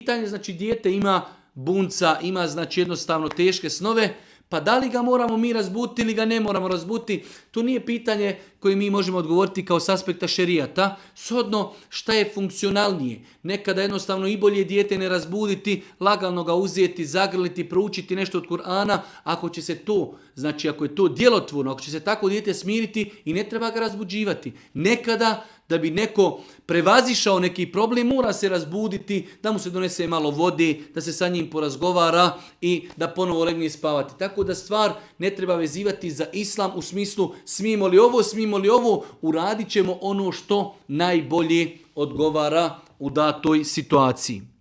pitanje, znači dijete ima bunca, ima znači jednostavno teške snove, pa da li ga moramo mi razbuditi ili ga ne moramo razbuditi, to nije pitanje koje mi možemo odgovoriti kao s aspekta šerijata. Shodno šta je funkcionalnije. Nekada jednostavno i bolje dijete ne razbuditi, lagano ga uzeti, zagrliti, proučiti nešto od Kur'ana. Ako će se to, znači ako je to djelotvorno, ako će se tako dijete smiriti i ne treba ga razbuđivati. Nekada da bi neko prevazišao neki problem, mora se razbuditi, da mu se donese malo vode, da se sa njim porazgovara i da ponovo legne spavati. Tako da stvar ne treba vezivati za islam u smislu smijemo li ovo, uradit ćemo ono što najbolje odgovara u datoj situaciji.